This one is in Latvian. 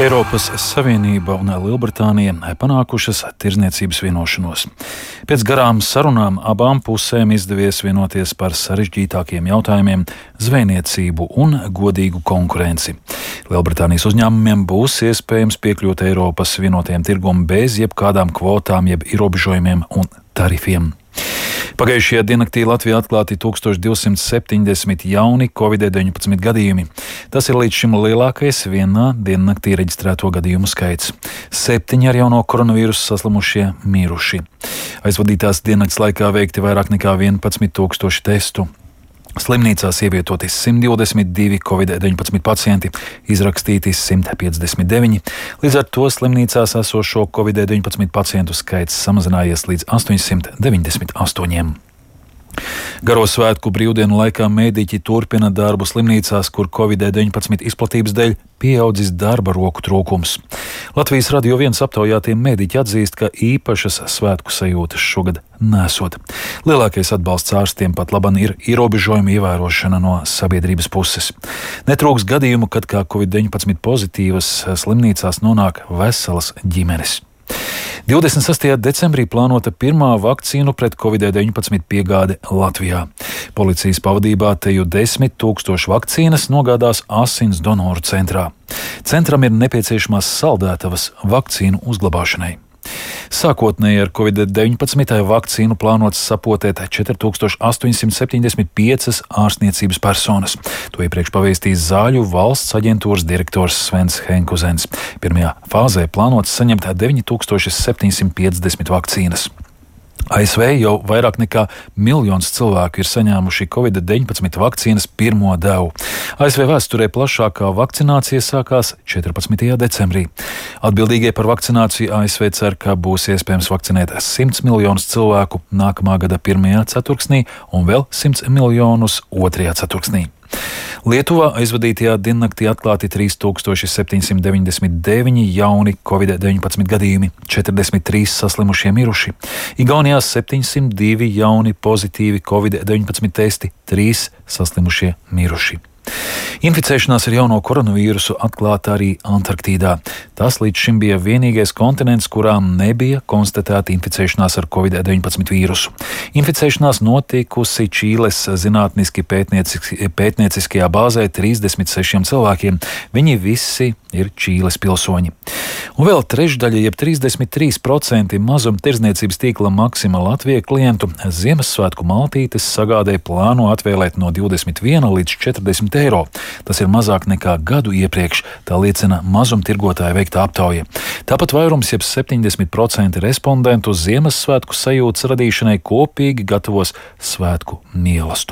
Eiropas Savienība un Lielbritānija panākušas tirdzniecības vienošanos. Pēc garām sarunām abām pusēm izdevies vienoties par sarežģītākiem jautājumiem - zvejniecību un godīgu konkurenci. Lielbritānijas uzņēmumiem būs iespējams piekļūt Eiropas vienotajam tirgum bez jebkādām kvotām jeb ierobežojumiem un tarifiem. Pagājušajā diennaktī Latvijā atklāti 1270 jauni Covid-19 gadījumi. Tas ir līdz šim lielākais vienā diennaktī reģistrēto gadījumu skaits. 7 ar jauno koronavīrusu saslimušie miruši. Aizvadītās diennakts laikā veikti vairāk nekā 11 000 testu. Slimnīcās ievietoti 122 Covid-19 pacienti, izrakstīti 159. Līdz ar to slimnīcās esošo Covid-19 pacientu skaits samazinājies līdz 898. Garo svētku brīvdienu laikā mēdīķi turpina darbu slimnīcās, kur Covid-19 izplatības dēļ pieaudzis darba roku trūkums. Latvijas Radio 1 aptaujātie mēdīķi atzīst, ka īpašas svētku sajūtas šogad nesot. Lielākais atbalsts ārstiem pat laban ir ierobežojumu ievērošana no sabiedrības puses. Netrūks gadījumu, kad kā Covid-19 pozitīvas slimnīcās nonāk veselas ģimenes. 26. decembrī plānota pirmā vakcīnu pret Covid-19 piegāde Latvijā. Policijas pavadībā teju 10 000 vakcīnas nogādās asins donoru centrā. Centram ir nepieciešamās saldētavas vakcīnu uzglabāšanai. Sākotnēji ar Covid-19 vakcīnu plānots sapotēt 4875 ārstniecības personas. To iepriekš pavēstījis Zāļu valsts aģentūras direktors Svens Henkuzens. Pirmajā fāzē plānots saņemt 9750 vakcīnas. ASV jau vairāk nekā 1 miljons cilvēku ir saņēmuši Covid-19 vakcīnas pirmo devu. ASV vēsturē plašākā vakcinācija sākās 14. decembrī. Atbildīgie par vakcināciju ASV cer, ka būs iespējams vakcinēt 100 miljonus cilvēku nākamā gada 1. ceturksnī un vēl 100 miljonus 2. ceturksnī. Lietuvā aizvadītajā diennaktī atklāti 3799 jauni Covid-19 gadījumi, 43 saslimušie miruši. Igaunijā 702 jauni pozitīvi Covid-19 testi, 3 saslimušie miruši. Inficēšanās ar jauno koronavīrusu atklāta arī Antarktīdā. Tas līdz šim bija vienīgais kontinents, kurā nebija konstatēta inficēšanās ar Covid-19 vīrusu. Inficēšanās notikusi Čīles zinātniski pētnieciskajā bāzē 36 cilvēkiem. Viņi visi ir Čīles pilsoņi. Un vēl trešdaļa, jeb 33% mazumtirdzniecības tīkla Maxima Latvija klientu Ziemassvētku maltītes sagādē plāno atvēlēt no 21 līdz 40 eiro. Tas ir mazāk nekā gadu iepriekš, tā liecina mazumtirgotāja veikta aptauja. Tāpat vairums, jeb 70% respondentu Ziemassvētku sajūtas radīšanai kopīgi gatavos svētku mielastu.